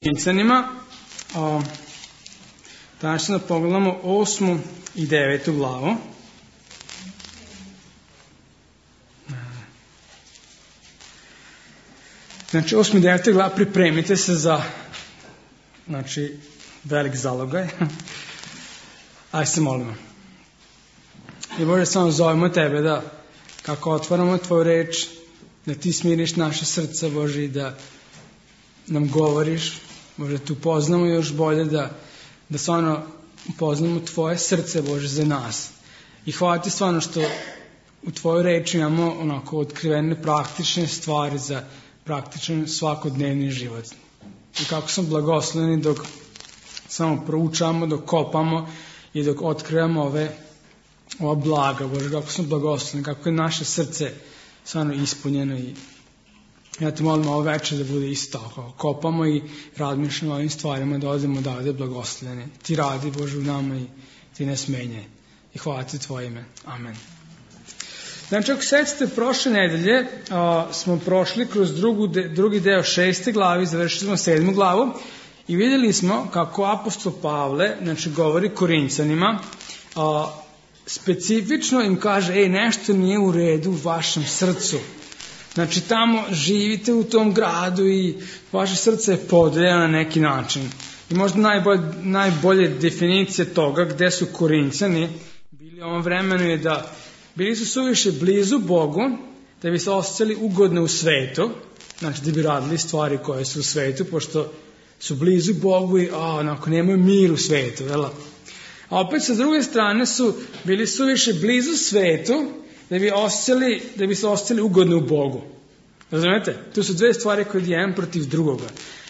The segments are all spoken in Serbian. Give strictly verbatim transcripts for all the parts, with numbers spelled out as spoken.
Korinćanima. Danas ćemo da pogledamo osmu i devetu glavu. Znači, osmu i devetu glavu, pripremite se za znači, velik zalogaj. Aj se molimo. I Bože, samo zovemo Tebe da kako otvaramo Tvoju reč, da Ti smiriš naše srce, Bože, i da nam govoriš, Bože, tu poznamo još bolje, da, da stvarno poznamo Tvoje srce, Bože, za nas. I hvala Ti stvarno što u Tvojoj reči imamo onako otkrivene praktične stvari za praktičan svakodnevni život. I kako smo blagosloveni dok samo proučamo, dok kopamo i dok otkrivamo ove, ova blaga, Bože, kako smo blagosloveni, kako je naše srce stvarno ispunjeno. I ja Te molim ovo večer da bude isto tako. Kopamo i razmišljamo o ovim stvarima, da odemo odavde blagosloveni. Ti radi, Bože, u nama i Ti ne smenjaj. I hvala Ti Tvoje ime. Amen. Znači, ako sećate, prošle nedelje a, smo prošli kroz drugu de, drugi deo šeste glavi, završili smo sedmu glavu i vidjeli smo kako apostol Pavle, znači, govori Korinćanima, a, specifično im kaže, ej, nešto nije u redu u vašem srcu. Znači, tamo živite u tom gradu i vaše srce je podeljeno na neki način. I možda najbolje, najbolje definicije toga gde su Korinćani bili u ovom vremenu je da bili su suviše blizu Bogu, da bi se osjećali ugodno u svetu, znači da bi radili stvari koje su u svetu, pošto su blizu Bogu i a, onako nemaju mir u svetu. Jel? A opet sa druge strane su bili suviše blizu svetu, da bi, osjećali, da bi se osjećali ugodno u Bogu. Razumete? Tu su dve stvari koje je jedan protiv drugoga.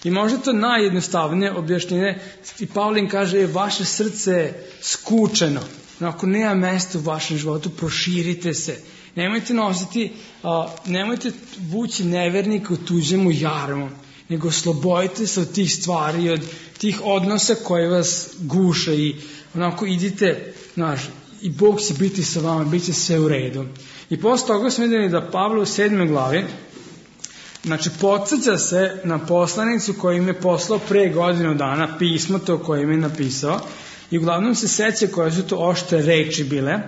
I možda to najjednostavnije objašnjenje. I Pavlin kaže, vaše srce je skučeno. Ako nema mesta u vašem životu, proširite se. Nemojte nositi, a, nemojte vući nevernika u tuđemu jarmu, nego oslobodite se od tih stvari i od tih odnosa koje vas guše i onako idite, znaš, i Bog će biti sa vama, bit će sve u redu. I posle toga smo vidjeli da Pavle u sedmoj glavi, znači, podsjeća se na poslanicu koju im je poslao pre godinu dana, pismo to koje im je napisao, i uglavnom se seća koje su to oštre reči bile,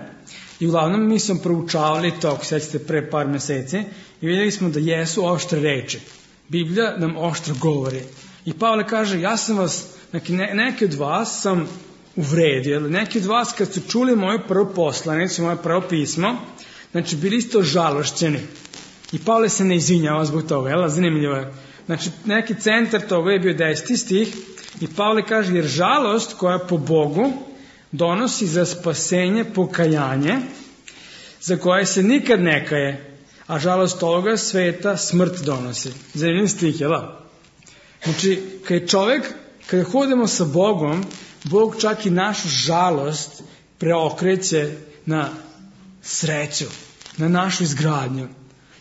i uglavnom mi smo proučavali to, ako sećate, pre par meseci, i vidjeli smo da jesu oštre reči. Biblija nam oštro govori. I Pavle kaže, ja sam vas, neki, ne, neki od vas sam uvredio, neki od vas kad su čuli moju prvu poslanicu, moje prvo pismo, znači bili ste žalošćeni. I Pavle se ne izvinjava zbog toga, jel? Zanimljivo je. Znači, neki centar toga je bio deseti stih i Pavle kaže, jer žalost koja po Bogu donosi za spasenje pokajanje, za koje se nikad ne kaje, a žalost ovoga sveta smrt donosi. Zanimljiv stih, jel? Znači, kad je čovjek, kada hodimo sa Bogom, Bog čak i našu žalost preokreće na sreću, na našu izgradnju.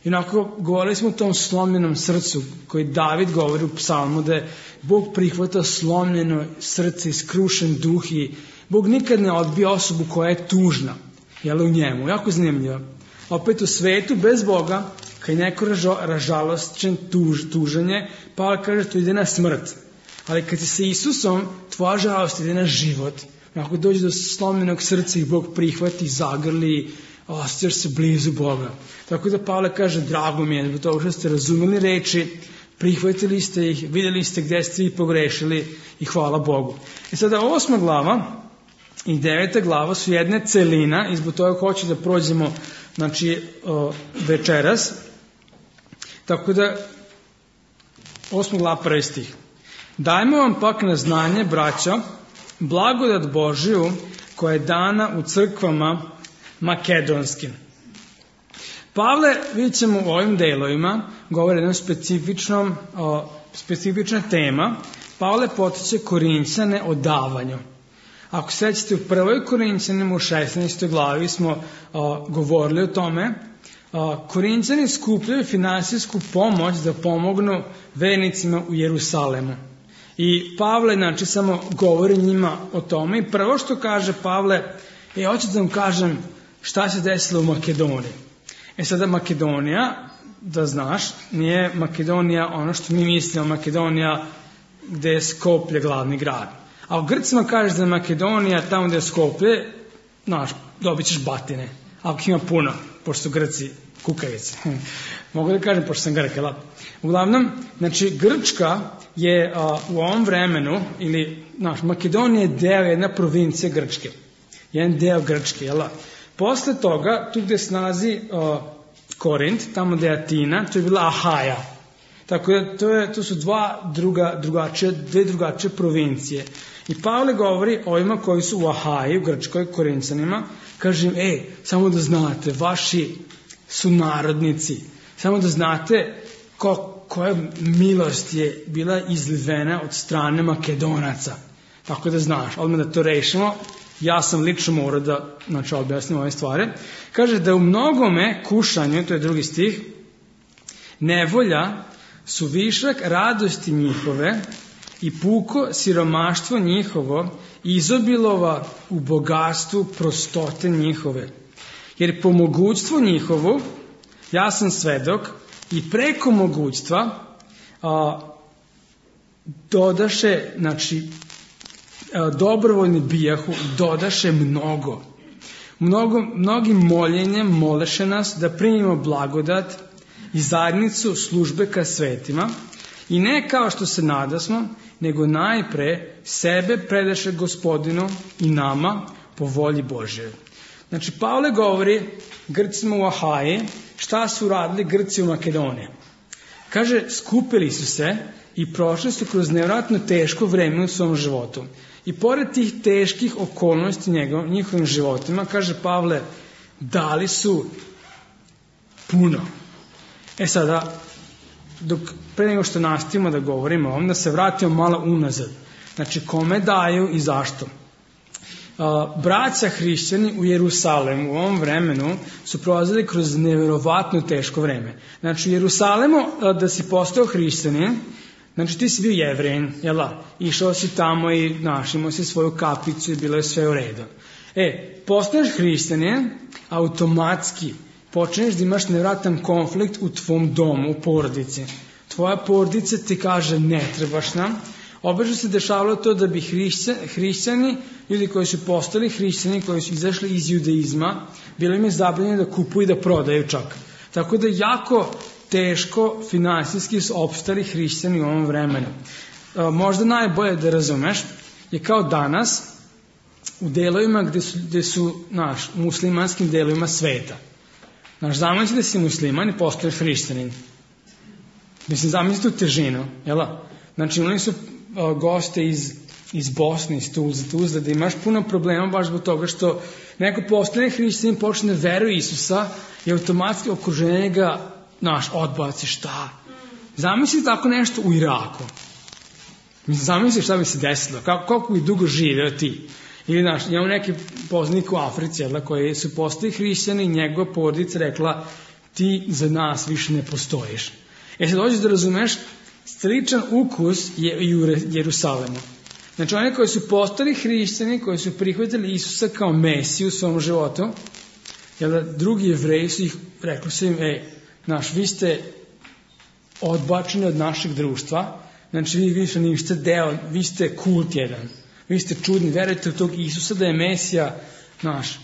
I onako govorili smo o tom slomljenom srcu koji David govori u psalmu, da je Bog prihvata slomljeno srce i skrušen duh i Bog nikad ne odbija osobu koja je tužna, jel, u njemu. Jako zanimljivo. Opet u svetu bez Boga, kad je neko ražalosćen tuž, tuženje, Pavle kaže to ide na smrt. Ali kad si sa Isusom, tvoja žalost ide na život. Ako dođe do slomljenog srca i Bog prihvati, zagrli, osjećaš se blizu Boga. Tako da Pavle kaže, drago mi je, zbog toga što ste razumeli reči, prihvatili ste ih, vidjeli ste gdje ste ih pogrešili i hvala Bogu. I sada osma glava i deveta glava su jedne celina i zbog toga hoću da prođemo, znači, večeras. Tako da, osma glava, prvi stih. Dajmo vam pak na znanje, braćo, blagodat Božiju koja je dana u crkvama makedonskim. Pavle, vidjet ćemo u ovim delovima, govori jednom specifičnom, o, specifična tema. Pavle potiče Korinćane o davanju. Ako sećate, u prvoj Korinćanima u šesnaestoj glavi smo o, govorili o tome. O, Korinćani skupljaju finansijsku pomoć da pomognu vernicima u Jerusalemu. I Pavle, znači, samo govori njima o tome. I prvo što kaže Pavle, e, hoću da vam kažem šta se desilo u Makedoniji. E sada Makedonija, da znaš, nije Makedonija ono što mi mislimo, Makedonija gde je Skoplje glavni grad. A u Grcima kažeš da je Makedonija tamo gde je Skoplje, znaš, dobit ćeš batine. Ako ima puno, pošto su Grci kukavice. Mogu da kažem, pošto sam Grk, jel? Uglavnom, znači, Grčka je a, u ovom vremenu, ili, znaš, Makedonija je deo jedna provincija Grčke. Jedan deo Grčke, jel? Posle toga, tu gde se nalazi a, Korint, tamo gde je Atina, to je bila Ahaja. Tako da, to, je, to su dva druga, drugačije, dve drugačije provincije. I Pavle govori o ovima koji su u Ahaji, u Grčkoj, Korincanima, kaže im, ej, samo da znate, vaši sunarodnici, samo da znate ko, koja milost je bila izlivena od strane Makedonaca. Tako da znaš, odmah da to rešimo, ja sam lično morao da, znači, objasnim ove stvari. Kaže da u mnogome kušanju, to je drugi stih, nevolja su višak radosti njihove i puko siromaštvo njihovo izobilova u bogatstvu prostote njihove. Jer po mogućstvu njihovu, ja sam svedok, i preko mogućstva a, dodaše, znači, a, dobrovoljni bijahu, dodaše mnogo. mnogo. Mnogim moljenjem moleše nas da primimo blagodat i zajednicu službe ka svetima, i ne kao što se nadasmo, nego najpre sebe predaše Gospodinu i nama po volji Božje. Znači, Pavle govori Grcima u Ahaji šta su radili Grci u Makedoniji. Kaže, skupili su se i prošli su kroz nevjerojatno teško vreme u svom životu. I pored tih teških okolnosti njegov, njihovim životima, kaže Pavle, dali su puno. E sada, dok pre nego što nastavimo da govorimo o ovom, da se vratimo malo unazad. Znači, kome daju i zašto? Uh, braća hrišćani u Jerusalemu u ovom vremenu su prolazili kroz nevjerovatno teško vreme. Znači, u Jerusalemu, uh, da si postao hrišćanin, znači ti si bio Jevrein, jel da? Išao si tamo i znaš, imao si svoju kapicu i bilo je sve u redu. E, postaješ hrišćanin, automatski počneš da imaš nevjerojatan konflikt u tvom domu, u porodici. Tvoja porodica ti kaže ne trebaš nam. Obično se dešavalo to da bi hrišćani, ljudi koji su postali hrišćani, koji su izašli iz judaizma, bilo im je zabranjeno da kupuju i da prodaju čak. Tako da jako teško finansijski su opstali hrišćani u ovom vremenu. Možda najbolje da razumeš je kao danas u delovima gde su, gde su naš, muslimanskim delovima sveta. Naš, zamisli da si musliman i postaješ hrišćanin. Mislim, zamisli tu težinu, jel? Znači, imali su o, goste iz, iz Bosne, iz Tuzla, Tuzla, da imaš puno problema baš zbog toga što neko postane hrišćanin, počne veruje Isusa i automatski okruženje ga, naš, odbaci, šta? Zamisli tako nešto u Iraku. Mislim, zamisli šta bi se desilo, kako, koliko bi dugo živeo ti. Ili, znaš, imamo neki poznanik u Africi, jel, koji su postali hrišćani i njegova porodica rekla, ti za nas više ne postojiš. E sad dođeš da razumeš, sličan ukus je i u Jerusalemu. Znači, oni koji su postali hrišćani, koji su prihvatili Isusa kao Mesiju u svom životu, jel, drugi Jevreji su ih, rekli su im, ej, znaš, vi ste odbačeni od našeg društva, znači vi više niste deo, vi ste kult jedan. Vi ste čudni, verujete u tog Isusa da je Mesija, znaš,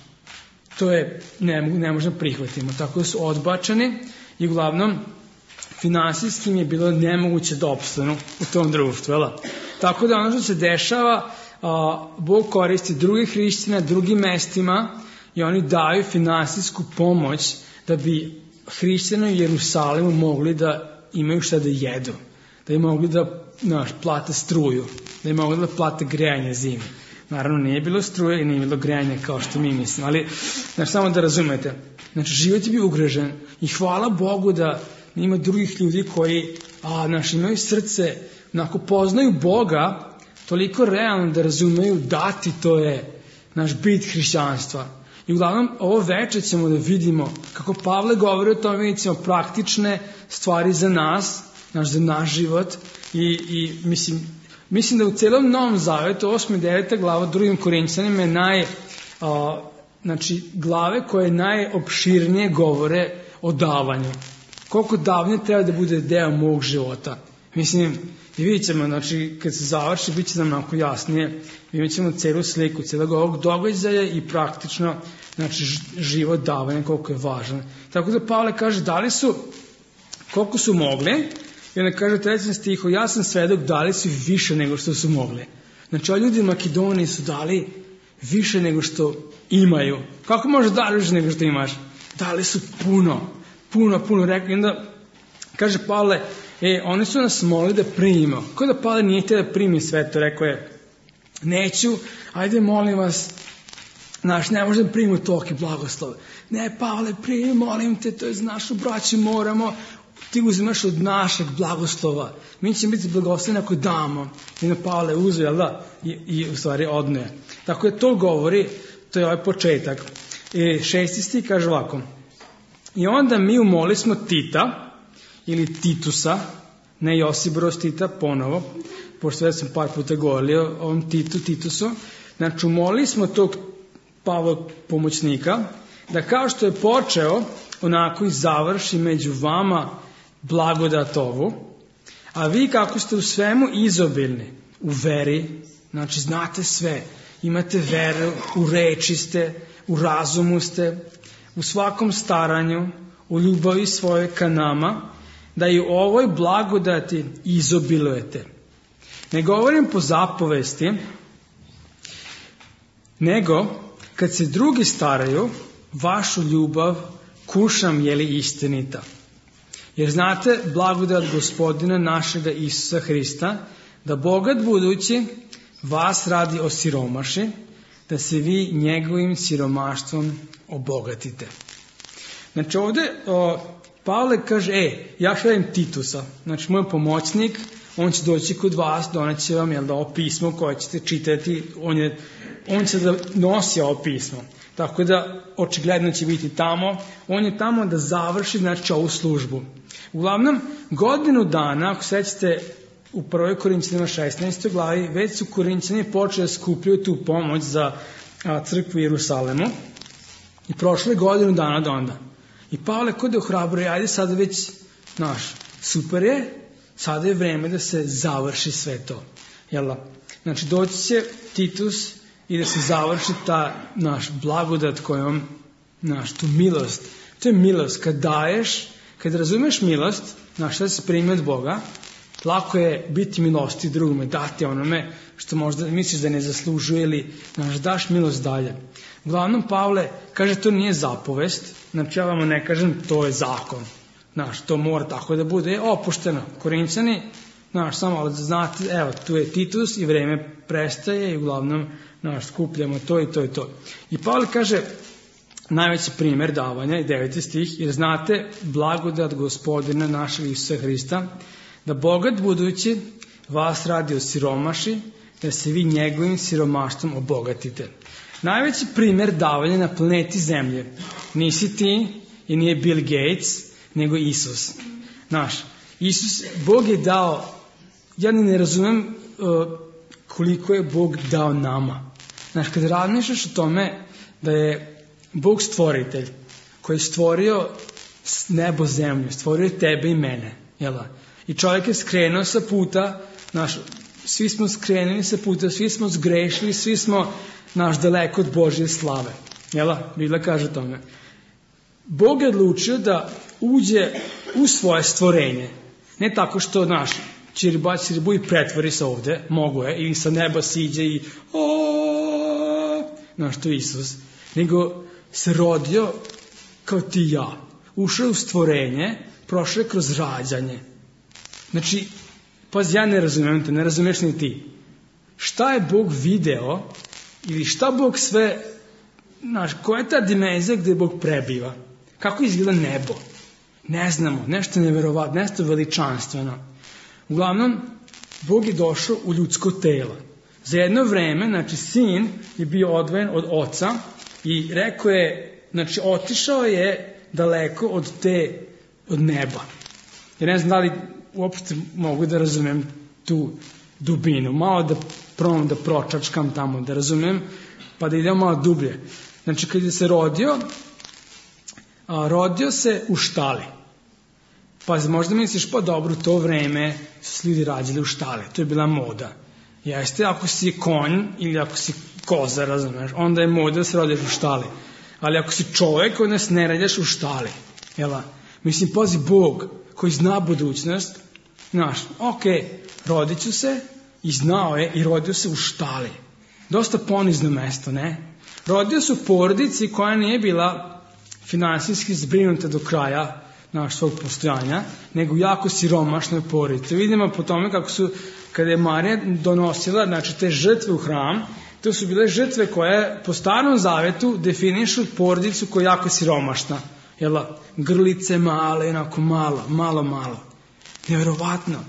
to je, ne, ne možemo prihvatimo. Tako su odbačeni i uglavnom finansijski im je bilo nemoguće da opstanu u tom društvu. Jel? Tako da ono što se dešava, a, Bog koristi drugih hrišćana, drugim mestima i oni daju finansijsku pomoć da bi hrišćani u Jerusalemu mogli da imaju šta da jedu, da im mogli da, znaš, plate struju, da im mogli da plate grejanje zime. Naravno, nije bilo struje i nije bilo grejanje kao što mi mislimo, ali, znaš, samo da razumete, znači, život je bio ugrožen i hvala Bogu da ima drugih ljudi koji, a, znaš, imaju srce, onako, poznaju Boga toliko realno da razumeju dati, to je naš bit hrišćanstva. I uglavnom, ovo večer ćemo da vidimo kako Pavle govori o tome, vidjet ćemo praktične stvari za nas, naš, za naš život i, i mislim, mislim da u celom Novom Zavetu, osma i deveta glava drugim Korinćanima je naj, a, znači, glave koje najopširnije govore o davanju. Koliko davanje treba da bude deo mog života. Mislim, i vidjet ćemo, znači, kad se završi, bit će nam onako jasnije, vidjet ćemo celu sliku, celog ovog događaja i praktično, znači, život davanja, koliko je važan. Tako da Pavle kaže, dali su, koliko su mogli, i onda kaže u trećem stihu, ja sam svedok, dali su više nego što su mogli. Znači, ovi ljudi u Makedoniji su dali više nego što imaju. Kako možeš dati više nego što imaš? Dali su puno, puno, puno, rekli. I onda kaže Pavle, e, oni su nas molili da primimo. Kako da Pavle nije htio da primi sve to? Rekao je, neću, ajde molim vas, znaš, ne možda primimo toliki blagoslov. Ne, Pavle, primi, molim te, to je za našu braću, moramo, ti uzimaš od našeg blagoslova. Mi ćemo biti blagosloveni ako damo. I na Pavle uzeo, jel da? I, i u stvari odnoje. Tako je to govori, to je ovaj početak. I šesti stih kaže ovako. I onda mi umoli smo Tita, ili Titusa, ne Josip Broz Tita, ponovo, pošto već sam par puta govorio o ovom Titu, Titusu. Znači, umoli smo tog Pavlog pomoćnika, da kao što je počeo, onako i završi među vama blagodat ovu, a vi kako ste u svemu izobilni, u veri, znači znate sve, imate veru, u reči ste, u razumu ste, u svakom staranju, u ljubavi svoje ka nama, da i u ovoj blagodati izobilujete. Ne govorim po zapovesti, nego kad se drugi staraju, vašu ljubav kušam je li istinita. Jer znate blagodat Gospodina našega Isusa Hrista, da bogat budući vas radi osiromaši, da se vi njegovim siromaštvom obogatite. Znači ovdje o, Pavle kaže, e, ja šaljem Titusa, znači moj pomoćnik, on će doći kod vas, doneće vam, jel da, ovo pismo koje ćete čitati, on, je, on će da nosi ovo pismo. Tako da, očigledno će biti tamo. On je tamo da završi, znači, ovu službu. Uglavnom, godinu dana, ako sećate u prvoj Korinćanima šesnaestoj glavi, već su Korinćani počeli da skupljaju tu pomoć za a, crkvu u Jerusalemu. I prošle godinu dana do onda. I Pavle kod je ohrabruje, ajde sada već, naš, super je, sada je vreme da se završi sve to. Jel da? Znači, doći će Titus i da se završi ta naš blagodat kojom, naš, tu milost. To je milost. Kad daješ, kad razumeš milost, naš, šta se primi od Boga, lako je biti milosti drugome, dati onome što možda misliš da ne zaslužuje ili, naš, daš milost dalje. Uglavnom, Pavle kaže, to nije zapovest, znači ja vam ne kažem, to je zakon. Znaš, to mora tako da bude je opušteno. Korinćani, znaš, samo da znate, evo, tu je Titus i vreme prestaje i uglavnom, znaš, skupljamo to i to i to. I Pavle kaže, najveći primjer davanja, i deveti stih, jer znate blagodat Gospodina našeg Isusa Hrista, da bogat budući vas radi o siromaši, da se vi njegovim siromaštvom obogatite. Najveći primjer davanja na planeti Zemlje nisi ti i nije Bill Gates, nego Isus. Znaš, Isus, Bog je dao, ja ne razumem uh, koliko je Bog dao nama. Znaš, kad razmišljaš o tome da je Bog stvoritelj, koji je stvorio nebo zemlju, stvorio tebe i mene, jel da? I čovjek je skrenuo sa puta, znaš, svi smo skrenuli sa puta, svi smo zgrešili, svi smo, naš, daleko od Božje slave, jel da? Biblia kaže tome. Bog je odlučio da uđe u svoje stvorenje, ne tako što, naš, čiriba, čiribu i pretvori se ovde, mogu je, ili sa neba siđe i o, znaš, to je Isus, nego se rodio kao ti i ja, ušao u stvorenje, prošao je kroz rađanje. Znači, paz, ja ne razumijem te, ne razumiješ ni ti. Šta je Bog video ili šta Bog sve, znaš, koja je ta dimenzija gdje Bog prebiva? Kako izgleda nebo? Ne znamo, nešto neverovatno, nešto veličanstveno. Uglavnom, Bog je došao u ljudsko telo. Za jedno vreme, znači, sin je bio odvojen od oca i rekao je, znači, otišao je daleko od te, od neba. Ja ne znam da li uopšte mogu da razumem tu dubinu. Malo da probam da pročačkam tamo, da razumem, pa da idem malo dublje. Znači, kad je se rodio, a, rodio se u štali. Pa možda misliš, pa dobro, to vreme su se ljudi rađali u štali, to je bila moda. Jeste, ako si konj ili ako si koza, razumeš, onda je moda da se rodiš u štali. Ali ako si čovek, onda se ne rađaš u štali. Jela? Mislim, pazi, Bog koji zna budućnost, znaš, ok, rodit ću se i znao je i rodio se u štali. Dosta ponizno mesto, ne? Rodio se u porodici koja nije bila finansijski zbrinuta do kraja naš svog postojanja, nego jako siromašnoj porodici. Vidimo po tome kako su, kada je Marija donosila, znači, te žrtve u hram, to su bile žrtve koje po Starom Zavetu definišu porodicu koja je jako siromašna. Jela, grlice male, onako malo, malo, malo. Nevjerovatno.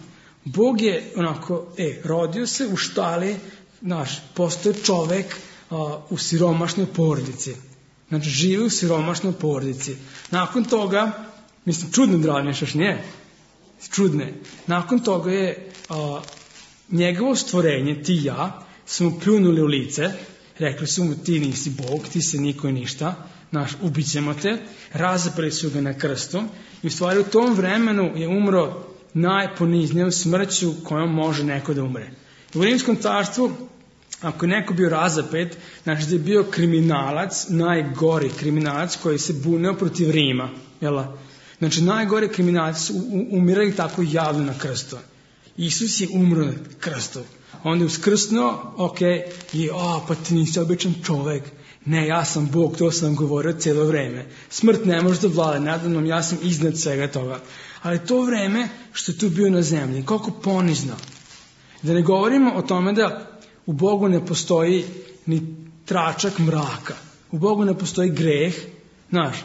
Bog je onako, e, rodio se u štali, znaš, postoje čovek a, u siromašnoj porodici. Znači, živi u siromašnoj porodici. Nakon toga, mislim, čudno da razmišljaš, nije? Čudne. Nakon toga je a, njegovo stvorenje, ti i ja, su mu pljunuli u lice, rekli su mu, ti nisi Bog, ti se niko i ništa, naš, ubićemo te, razapeli su ga na krstu i u stvari u tom vremenu je umro najponiznijom smrću kojom može neko da umre. U Rimskom carstvu, ako je neko bio razapet, znači da je bio kriminalac, najgori kriminalac koji se bunio protiv Rima. Jela? Znači najgori kriminalac su umirali tako javno na krstu. Isus je umro na krstu. Onda je uskrsnuo, ok, i o, pa ti nisi običan čovek. Ne, ja sam Bog, to sam govorio cijelo vreme. Smrt ne može da vlada nada mnom, ja sam iznad svega toga. Ali to vreme što je tu bio na zemlji, koliko ponizno. Da ne govorimo o tome da u Bogu ne postoji ni tračak mraka. U Bogu ne postoji greh, znaš.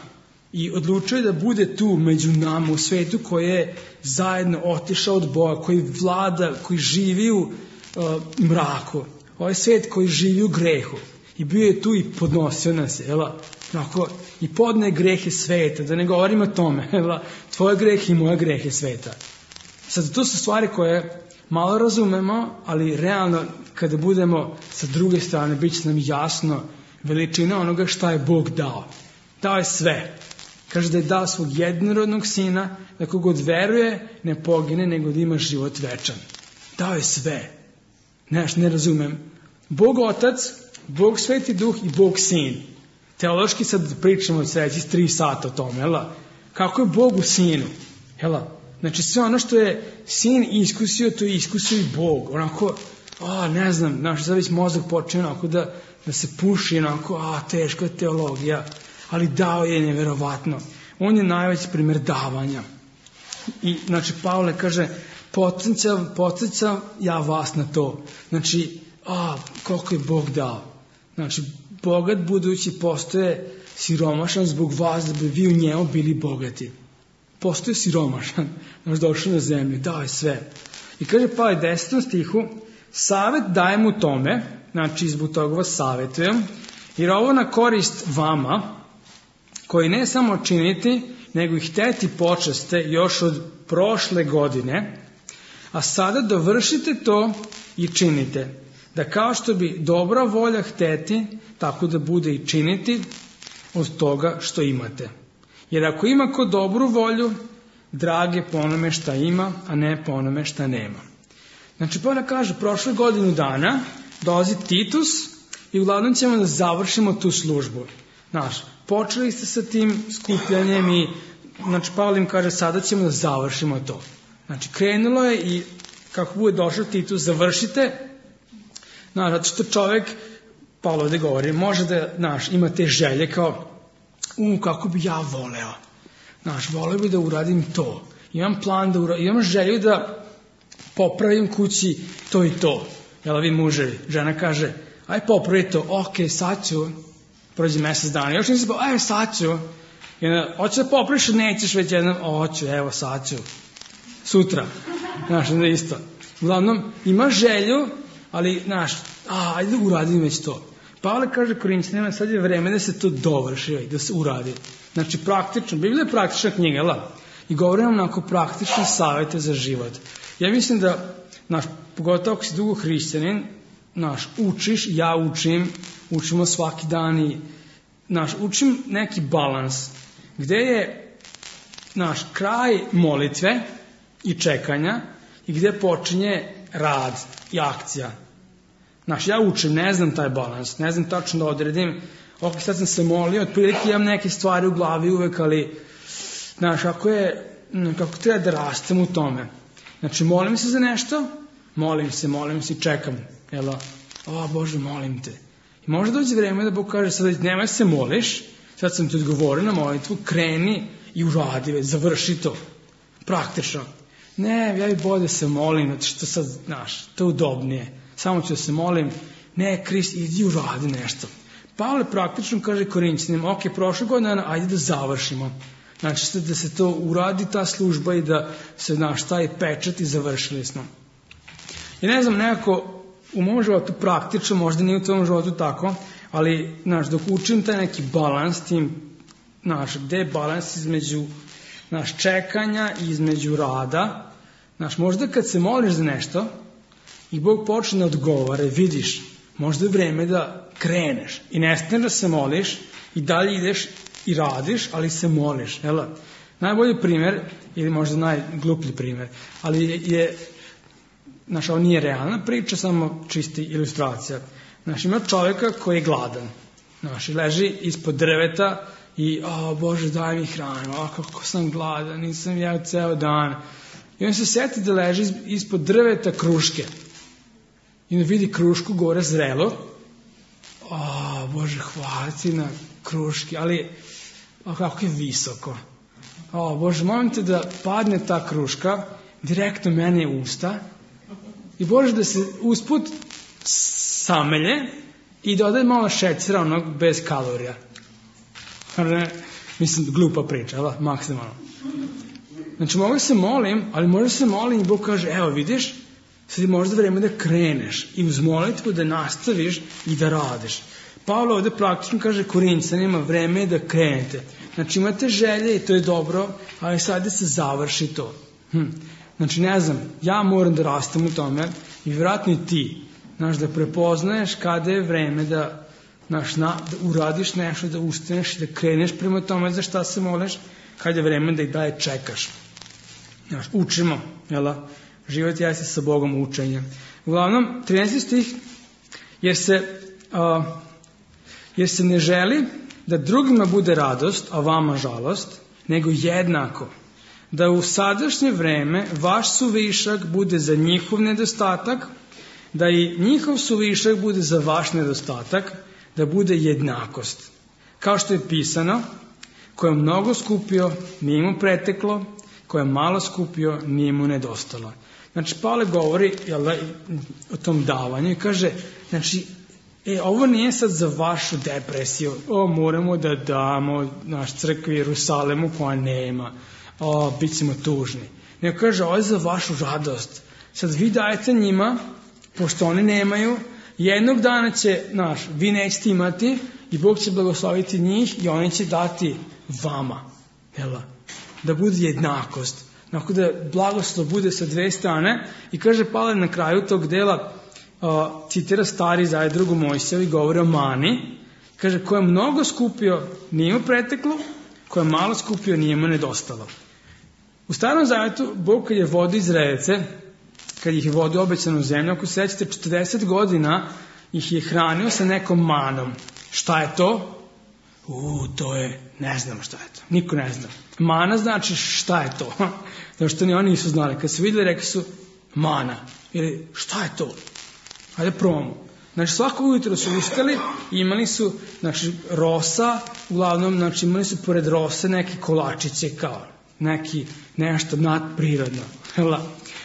I odlučio je da bude tu među nama u svetu koji je zajedno otišao od Boga, koji vlada, koji živi u uh, mraku. Ovaj svet koji živi u grehu. I bio je tu i podnosio nas, jela? Onako, i podne grehe sveta, da ne govorim o tome, jela? Tvoje grehe i moje grehe sveta. Sad, to su stvari koje malo razumemo, ali realno, kada budemo sa druge strane, bit će nam jasno veličina onoga šta je Bog dao. Dao je sve. Kaže da je dao svog jednorodnog sina, da kogod veruje, ne pogine, nego da ima život večan. Dao je sve. Neš, ne razumem. Bog Otac, Bog Sveti Duh i Bog Sin. Teološki sad pričamo od sljedećih tri sata o tome, jela? Kako je Bog u Sinu? Jela? Znači sve ono što je Sin iskusio, to je iskusio i Bog. Onako, a, ne znam, naš zaveć mozak počne onako da, da se puši, onako, a, teška teologija. Ali dao je nevjerovatno. On je najveći primjer davanja. I, znači, Pavle kaže, podsjećam, podsjećam ja vas na to. Znači, a, koliko je Bog dao. Znači, bogat budući postoje siromašan zbog vas, da bi vi u njemu bili bogati. Postoje siromašan, znači došao na zemlju, dao je sve. I kaže Pavle desetom stihu, savjet dajem u tome, znači zbog toga vas savjetujem, jer ovo na korist vama, koji ne samo činiti, nego i hteti počeste još od prošle godine, a sada dovršite to i činite, da kao što bi dobra volja hteti, tako da bude i činiti od toga što imate. Jer ako ima ko dobru volju, drage po onome šta ima, a ne po onome šta nema. Znači, Pavle kaže, prošle godinu dana dolazi Titus i uglavnom ćemo da završimo tu službu. Znaš, počeli ste sa tim skupljanjem i, znači, Pavle im kaže, sada ćemo da završimo to. Znači, krenulo je i kako bude došao Titus, završite. Znaš, zato što čovjek, Pavle ovdje govori, može da, znaš, ima te želje kao, u, kako bi ja voleo. Znaš, voleo bi da uradim to. Imam plan da uradim, imam želju da popravim kući to i to. Jel vi muževi? Žena kaže, aj popravi to, ok, sad ću. Prođe mjesec dana. Još nisi pa, aj sad ću. Hoće da popraviš, nećeš već jednom, hoću, evo sad ću. Sutra. Znaš, onda isto. Uglavnom, ima želju, ali, znaš, a, ajde uradim već to. Pavle kaže Korinćanima, sad je vreme da se to dovrši, da se uradi. Znači, praktično, Biblija je praktična knjiga, jel? I govorimo onako praktične savjete za život. Ja mislim da, znaš, pogotovo ako si dugo hrišćanin, znaš, učiš, ja učim, učimo svaki dan i, znaš, učim neki balans, gde je naš kraj molitve i čekanja i gde počinje rad i akcija. Znaš, ja učim, ne znam taj balans, ne znam tačno da odredim, ok, sad sam se molio, otprilike imam neke stvari u glavi uvek, ali, znaš, ako je, kako treba da rastem u tome. Znači, molim se za nešto, molim se, molim se i čekam, jel, o Bože, molim te. I možda dođe vreme da Bog kaže, sad nemoj se moliš, sad sam ti odgovorio na molitvu, kreni i uradi, već, završi to, praktično. Ne, ja i bolje se molim, zato što sad, znaš, to je udobnije. Samo ću da se molim, ne, Krist, idi uradi nešto. Pavle praktično kaže Korinćanima, ok, prošle godine, ajde da završimo. Znači da se to uradi, ta služba i da se, znaš, taj pečat i završili smo. I ne znam, nekako u mom životu praktično, možda nije u tom životu tako, ali, znaš, dok učim taj neki balans, tim, znaš, gde je balans između, znaš, čekanja i između rada, znaš, možda kad se moliš za nešto i Bog počne da odgovara, vidiš, možda je vreme da kreneš i ne staneš da se moliš i dalje ideš i radiš, ali se moliš. Jel? Najbolji primjer, ili možda najgluplji primjer, ali je, je znaš, ovo nije realna priča, samo čisti ilustracija. Znaš, ima čovjeka koji je gladan. Znaš, leži ispod drveta i, o Bože, daj mi hranu, o kako sam gladan, nisam jeo ceo dan. I on se sjeti da leži ispod drveta kruške. I on vidi krušku gore zrelo. O Bože, hvala ti na kruški, ali o, kako je visoko. O Bože, molim te da padne ta kruška direktno mene u usta i Bože da se usput samelje i dodaje malo šećera onog bez kalorija. Mislim, glupa priča, ali maksimalno. Znači, mogu se molim, ali možda se molim i Bog kaže, evo vidiš, sad je možda vreme da kreneš i uz molitvu da nastaviš i da radiš. Pavle ovde praktično kaže Korinćanima, vreme je da krenete. Znači, imate želje i to je dobro, ali sad se završi to. Hm. Znači, ne znam, ja moram da rastem u tome i vjerojatno i ti, znaš, da prepoznaješ kada je vreme da, znaš, na, da uradiš nešto, da ustaneš i da kreneš prema tome za šta se moliš, kada je vreme da i dalje čekaš. Znaš, učimo, jela? Život jeste sa Bogom učenjem. Uglavnom, trinaesti stih, jer se, uh, jer se ne želi da drugima bude radost, a vama žalost, nego jednako. Da u sadašnje vreme vaš suvišak bude za njihov nedostatak, da i njihov suvišak bude za vaš nedostatak, da bude jednakost. Kao što je pisano, ko je mnogo skupio, nije mu preteklo, ko je malo skupio, nije mu nedostalo. Znači, Pavle govori jel, o tom davanju i kaže, znači, e, ovo nije sad za vašu depresiju, o, moramo da damo naš crkvi Jerusalemu koja nema, o, bit ćemo tužni. Nego kaže, ovo je za vašu radost. Sad vi dajete njima, pošto oni nemaju, jednog dana će, znaš, vi nećete imati i Bog će blagosloviti njih i oni će dati vama. Jel? Da bude jednakost. Tako da blagoslov bude sa dve strane i kaže Pavle na kraju tog dela, uh, citira stari zaje drugu Mojsiju i govori o mani. Kaže, ko je mnogo skupio, nije mu preteklo, ko je malo skupio, nije mu nedostalo. U starom zavetu, Bog kad je vodio Izraelce, kad ih je vodio obećanu zemlju, ako se sećate, četrdeset godina ih je hranio sa nekom manom. Šta je to? U, to je, ne znam šta je to. Niko ne zna. Mana znači šta je to? Zato što ni oni nisu znali. Kad su vidjeli, rekli su mana. Ili šta je to? Hajde probamo. Znači svako ujutro su ustali i imali su, znači, rosa, uglavnom, znači imali su pored rose neke kolačiće kao neki nešto nadprirodno.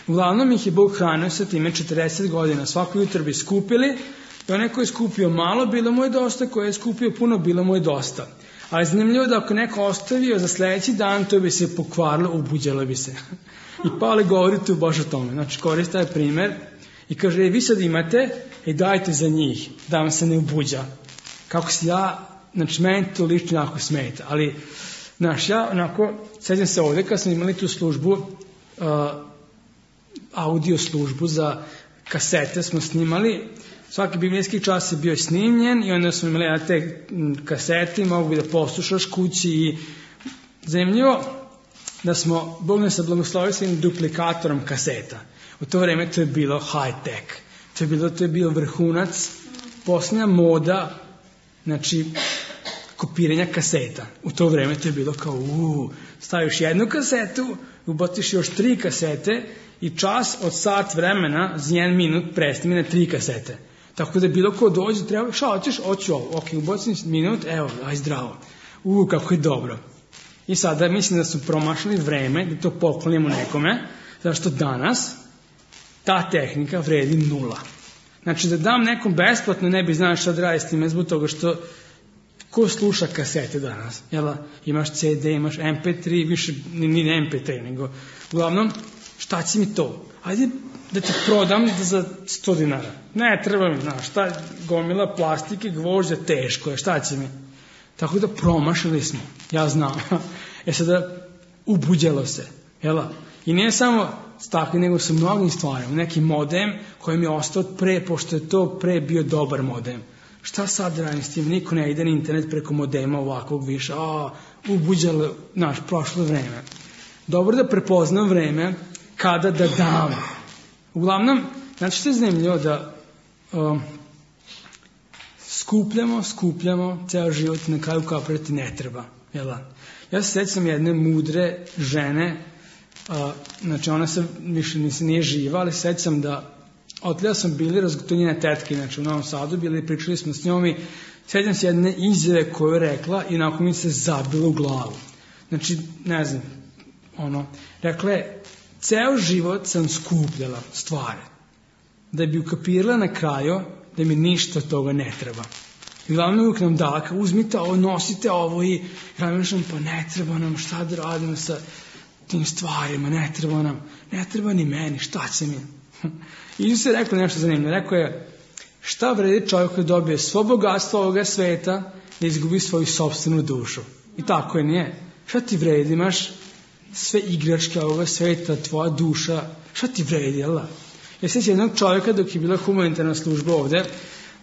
Uglavnom ih je Bog hranio sa time četrdeset godina. Svako jutro bi skupili i onaj ko je skupio malo, bilo mu je dosta, ko je skupio puno, bilo mu je dosta. Ali zanimljivo da ako neko ostavio za sljedeći dan, to bi se pokvarilo, ubuđalo bi se. I Pavle govori tu baš o tome. Znači koristi taj primjer i kaže, e, vi sad imate i dajte za njih, da vam se ne ubuđa. Kako se ja, znači meni to lično jako smeta, ali znaš, ja onako, sjećam se ovdje kad smo imali tu službu, uh, audio službu za kasete smo snimali, svaki biblijski čas je bio snimljen i onda smo imali na te kasete i mogu bi da poslušaš kući i zanimljivo, da smo, Bog nas je blagoslovio sa jednim duplikatorom kaseta. U to vreme to je bilo high tech. To je bilo, to je bio vrhunac, posljednja moda, znači, kopiranja kaseta. U to vreme to je bilo kao, uuu, staviš jednu kasetu, ubaciš još tri kasete i čas od sat vremena za jedan minut prestane na tri kasete. Tako da bilo ko dođe, treba, šta hoćeš, hoću ovo, ok, ubacim minut, evo, aj zdravo. Uuu, kako je dobro. I sada mislim da su promašali vreme da to poklonimo nekome, zašto danas ta tehnika vredi nula. Znači da dam nekom besplatno, ne bi znao šta da radi s time, zbog toga što ko sluša kasete danas? Jel, imaš ce de, imaš em pe tri, više ni em pe tri, nego uglavnom, šta će mi to? Ajde da ti prodam za sto dinara. Ne, treba mi, znaš, šta gomila plastike, gvožđa, teško je, šta će mi? Tako da promašili smo, ja znam. E sada, ubuđalo se, jel? I nije samo stakli, nego su mnogim stvarima. Neki modem koji mi je ostao pre, pošto je to pre bio dobar modem. Šta sad radim s tim? Niko ne ide na internet preko modema ovakvog više. A, ubuđalo, znaš, prošlo vreme. Dobro da prepoznam vreme kada da dam. Uglavnom, znači što je zanimljivo da um, skupljamo, skupljamo, ceo život na kraju kaprati ne treba. Jel? Ja se sjećam jedne mudre žene, uh, znači ona se više nisi, nije živa, ali sjećam da otlja sam bili razgotovljene tetke, znači u Novom Sadu bili, pričali smo s njom i sjećam se jedne izjave koju je rekla i nakon mi se zabilo u glavu. Znači, ne znam, ono, rekla je, ceo život sam skupljala stvari, da bi ukapirala na kraju da mi ništa od toga ne treba. I glavno uvijek nam dala, kao uzmite ovo, nosite ovo i razmišljam, pa ne treba nam, šta da radimo sa tim stvarima, ne treba nam, ne treba ni meni, šta će mi? I Isus je rekao nešto zanimljivo, rekao je, šta vredi čovjek koji dobije svo bogatstvo ovoga sveta da izgubi svoju sopstvenu dušu? I tako je, nije. Šta ti vredi, imaš sve igračke ovoga sveta, tvoja duša, šta ti vredi, jel? Ja sjećam jednog čovjeka dok je bila humanitarna služba ovde,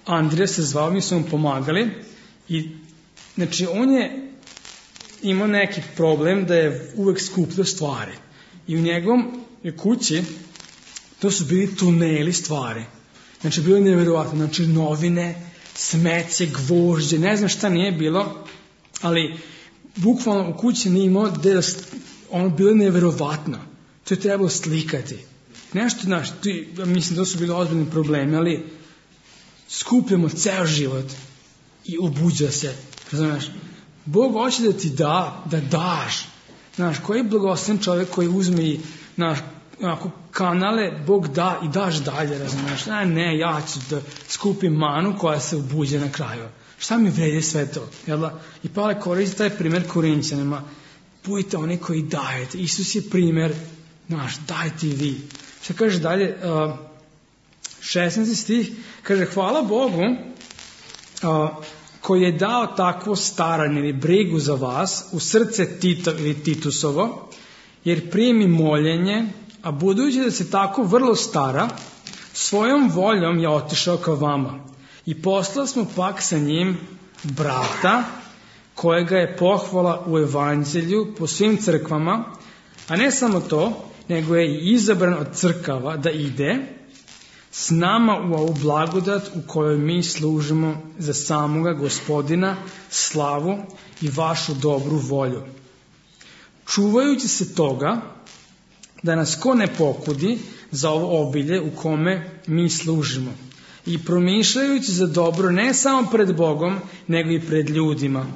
Andrija se zvao, mi smo mu pomagali i znači on je imao neki problem da je uvek skupljao stvari i u njegovom kući to su bili tuneli stvari, znači bilo je nevjerovatno, znači novine, smeće, gvožđe, ne znam šta nije bilo, ali bukvalno u kući nije imao da ono bilo je nevjerovatno, to je trebalo slikati. Nešto, znaš, ti, mislim da su bili ozbiljni problemi, ali skupljamo ceo život i ubuđa se, razumiješ? Bog hoće da ti da, da daš. Znaš, koji je blagosloven čovjek koji uzme i, znaš, onako, kanale, Bog da i daš dalje, razumiješ? Ne, ne, ja ću da skupim manu koja se ubuđe na kraju. Šta mi vredi sve to? Jel? I Pavle koristi taj primjer Korinćanima. Budite oni koji dajete. Isus je primjer, znaš, dajte i vi. Šta kaže dalje, uh, šesnaesti stih, kaže, hvala Bogu uh, koji je dao takvo staranje ili brigu za vas u srce Tito ili Titusovo, jer primi moljenje, a budući da se tako vrlo stara, svojom voljom je otišao ka vama. I poslali smo pak sa njim brata, kojega je pohvala u evanđelju po svim crkvama, a ne samo to, nego je i izabran od crkava da ide s nama u ovu blagodat u kojoj mi služimo za samoga Gospodina, slavu i vašu dobru volju. Čuvajući se toga, da nas ko ne pokudi za ovo obilje u kome mi služimo i promišljajući za dobro ne samo pred Bogom, nego i pred ljudima.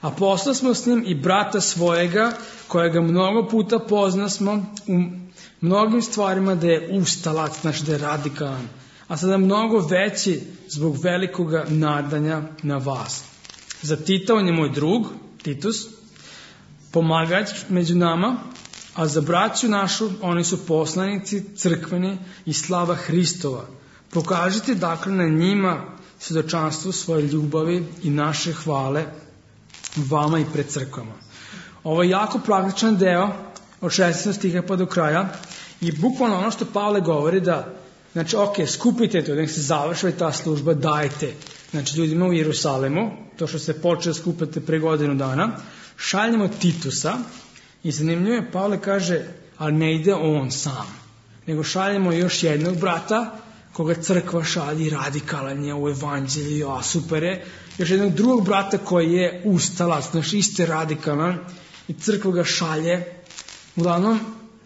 A posla smo s njim i brata svojega, kojega mnogo puta pozna smo u mnogim stvarima da je ustalac, znači da je radikalan, a sada mnogo veći zbog velikoga nadanja na vas. Za Tita, on je moj drug, Titus, pomagač među nama, a za braću našu, oni su poslanici crkveni i slava Hristova. Pokažite dakle na njima svjedočanstvo svoje ljubavi i naše hvale vama i pred crkvama. Ovo je jako praktičan deo od šesnaestog stiha pa do kraja i bukvalno ono što Pavle govori da, znači, ok, skupite to, da se završava ta služba, dajte, znači, ljudima u Jerusalemu, to što se počeo skupati pre godinu dana, šaljemo Titusa I zanimljivo je, Pavle kaže, ali ne ide on sam, nego šaljemo još jednog brata, koga crkva šalji, radikalan je u evanđelju, a super je, još jednog drugog brata koji je ustalac, znači isto je radikalan, i crkva ga šalje. Uglavnom,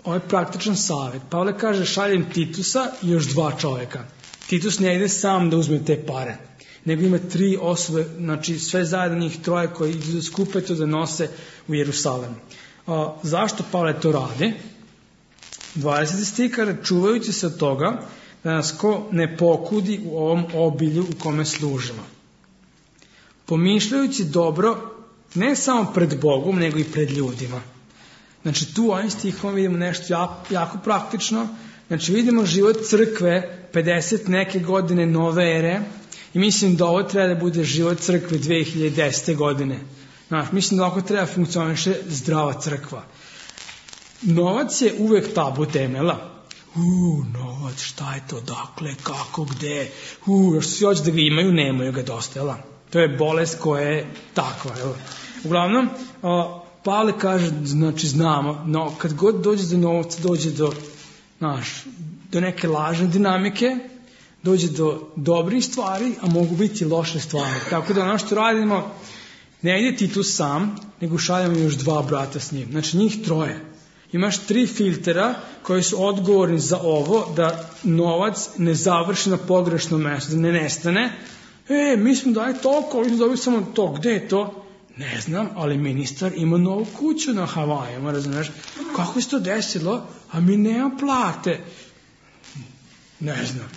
ovo je praktičan savjet. Pavle kaže, šaljem Titusa i još dva čovjeka. Titus ne ide sam da uzme te pare, nego ima tri osobe, znači sve zajedno njih troje koji idu da skupe to da nose u Jerusalim. A, zašto Pavle to radi? dvadeseti stih kaže, čuvajući se od toga da nas ko ne pokudi u ovom obilju u kome služimo. Pomišljajući dobro ne samo pred Bogom, nego i pred ljudima. Znači tu u ovim stihom vidimo nešto jako, jako praktično. Znači vidimo život crkve pedeset neke godine nove ere i mislim da ovo treba da bude život crkve dve hiljade desete godine. Znači, mislim da ovako treba funkcioniše zdrava crkva. Novac je uvek tabu temela. Uuu, novac, šta je to, dakle, kako, gde, uuu, još svi hoće da ga imaju, nemaju ga dosta, jel? To je bolest koja je takva, jel? Uglavnom, o, Pavle kaže, znači, znamo, no, kad god dođe do novca, dođe do, znaš, do neke lažne dinamike, dođe do dobrih stvari, a mogu biti loše stvari. Tako da ono što radimo, ne ide Titus sam, nego šaljamo još dva brata s njim. Znači, njih troje. Imaš tri filtera koji su odgovorni za ovo, da novac ne završi na pogrešnom mjestu, da ne nestane. E, mi smo dali toliko, mi smo dobili samo to. Gde je to? Ne znam, ali ministar ima novu kuću na Havajama, razumiješ? Kako se to desilo? A mi nema plate. Ne znam.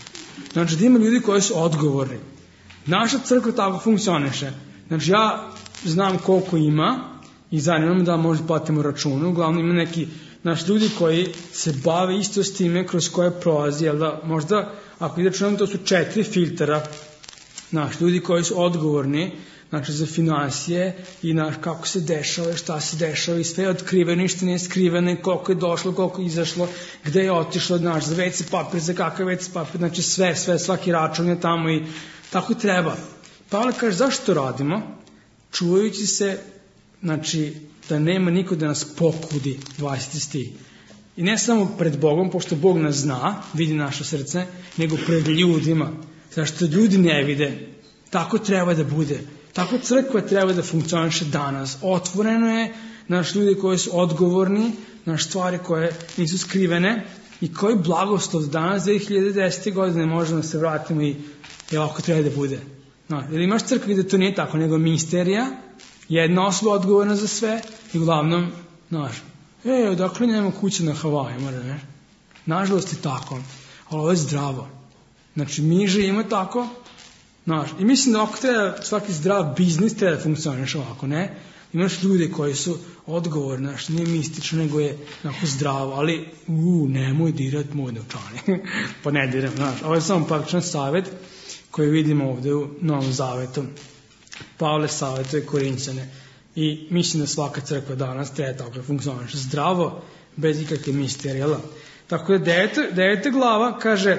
Znači, da ima ljudi koji su odgovorni. Naša crkva tako funkcioniše. Znači, ja znam koliko ima i zanima me da možda platimo račune. Uglavnom ima neki naš ljudi koji se bave isto s time kroz koje prolazi, jel da možda, ako ide računamo, to su četiri filtera, naš ljudi koji su odgovorni, znači za financije i naš kako se dešava, šta se dešava i sve je otkriveno, ništa nije skriveno, koliko je došlo, koliko je izašlo, gde je otišlo, naš, za ve ce papir, za kakav ve ce papir, znači sve, sve, svaki račun je tamo i tako treba. Pavle kaže, zašto to radimo? Čuvajući se, znači, da nema niko da nas pokudi, dvadeseti stih. I ne samo pred Bogom, pošto Bog nas zna, vidi naše srce, nego pred ljudima. Zašto ljudi ne vide. Tako treba da bude. Tako crkva treba da funkcioniše danas. Otvoreno je, naš ljudi koji su odgovorni, naš stvari koje nisu skrivene i koji blagoslov danas dve hiljade desete godine možemo da se vratimo i je ovako treba da bude. No, jer imaš crkvi gde to nije tako, nego misterija, jedna osoba odgovorna za sve i uglavnom, znaš, e, odakle nema kuće na Havajima, ne? Nažalost je tako, ali ovo je zdravo. Znači, mi živimo tako, znaš, i mislim da ovako treba, svaki zdrav biznis treba da funkcioniš ovako, ne? Imaš ljudi koji su odgovorni, znaš, nije mistično, nego je onako zdravo, ali, u, nemoj dirat moj novčanik, pa ne diram, znaš, ovo je samo praktičan savjet koji vidimo ovdje u Novom Zavetu. Pavle savjetuje Korinćane i mislim da svaka crkva danas treba tako funkcioniše zdravo, bez ikakve misterije. Tako da deveta, deveta glava kaže,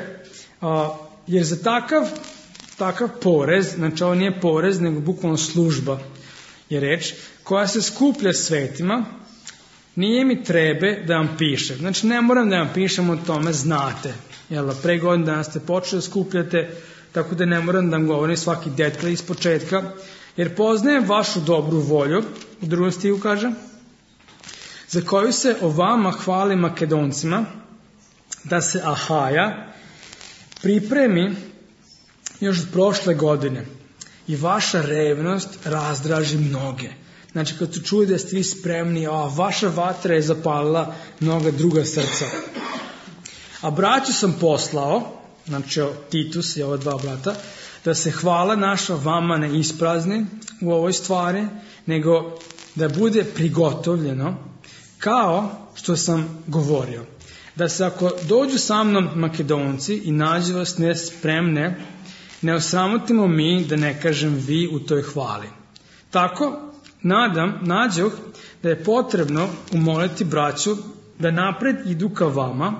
a, jer za takav, takav porez, znači ovo nije porez, nego bukvalno služba je reč, koja se skuplja svetima, nije mi trebe da vam pišem. Znači ne moram da vam pišem o tome, znate. Jel, pre godina danas ste počeli da skupljate, tako da ne moram da vam govorim svaki detalj iz početka, jer poznajem vašu dobru volju, u drugom stihu kaže, za koju se o vama hvali Makedoncima, da se Ahaja pripremi još od prošle godine i vaša revnost razdraži mnoge. Znači, kad su čuli da ste vi spremni, a vaša vatra je zapalila mnoga druga srca. A braću sam poslao, znači Titus i ova dva brata, da se hvala naša vama ne isprazni u ovoj stvari, nego da bude prigotovljeno, kao što sam govorio. Da se ako dođu sa mnom Makedonci i nađu vas nespremne, ne osramotimo mi, da ne kažem vi, u toj hvali. Tako, nadam, nađoh da je potrebno umoliti braću da napred idu ka vama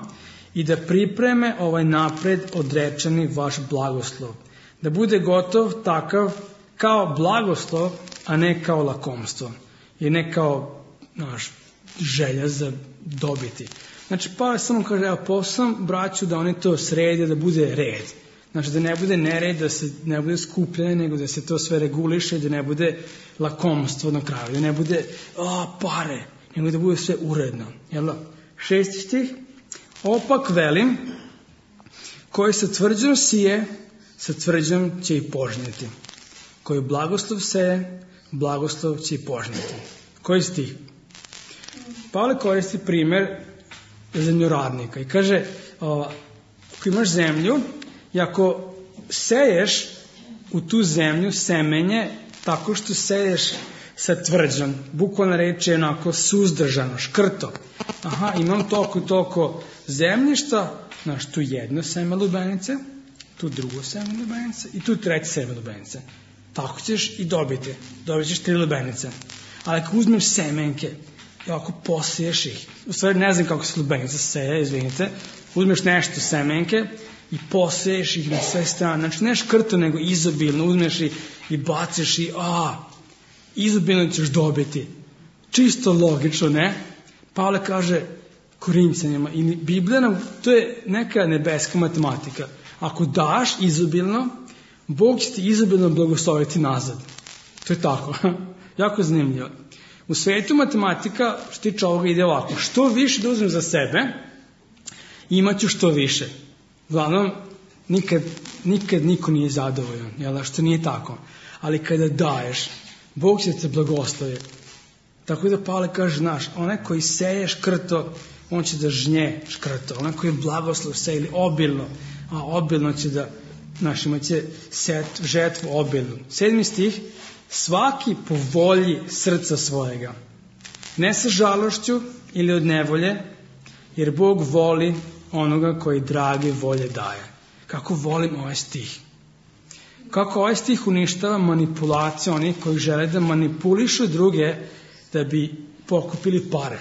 i da pripreme ovaj napred odrečeni vaš blagoslov. Da bude gotov takav kao blagoslov, a ne kao lakomstvo. I ne kao, znaš, želja za dobiti. Znači, Pavle samo kaže, evo, poslam braću da oni to srede, da bude red. Znači, da ne bude nered, da se ne bude skupljanje, nego da se to sve reguliše, da ne bude lakomstvo na kraju, da ne bude, a, pare, nego da bude sve uredno. Jel? Šesti stih, opak velim, koji sa tvrđom sije, sa tvrđom će i požnjeti. Koji blagoslov seje, blagoslov će i požnjeti. Koji stih? Pavle koristi primjer zemljoradnika i kaže, o, ako imaš zemlju i ako seješ u tu zemlju semenje tako što seješ sa tvrđom, bukvalna reč je onako suzdržano, škrto. Aha, imam toliko i toliko zemljišta, znaš, tu jedno seme lubenice, tu drugo seme lubenice i tu treće seme lubenice. Tako ćeš i dobiti. Dobit ćeš tri lubenice. Ali ako uzmeš semenke i ako posiješ ih, u stvari ne znam kako se lubenica seje, izvinite, uzmeš nešto semenke i posiješ ih na sve strane. Znači ne škrto, nego izobilno. Uzmeš i, i baciš i a, izobilno ćeš dobiti. Čisto logično, ne? Pavle kaže Korinćanima, i Biblija nam, to je neka nebeska matematika. Ako daš izobilno, Bog će ti izobilno blagosloviti nazad. To je tako. Jako zanimljivo. U svetu matematika, što tiče ovoga, ide ovako. Što više da uzmem za sebe, imat ću što više. Uglavnom, nikad, nikad niko nije zadovoljan, jel, što nije tako. Ali kada daješ, Bog će te blagoslovi. Tako da Pavle kaže, znaš, onaj koji seje škrto, on će da žnje škrto. Onaj koji blagoslov seje ili obilno, a obilno će da, znaš, imat će set, žetvu obilnu. Sedmi stih, svaki po volji srca svojega. Ne sa žalošću ili od nevolje, jer Bog voli onoga koji drage volje daje. Kako volim ovaj stih. Kako ovaj stih uništava manipulaciju onih koji žele da manipulišu druge da bi pokupili pare.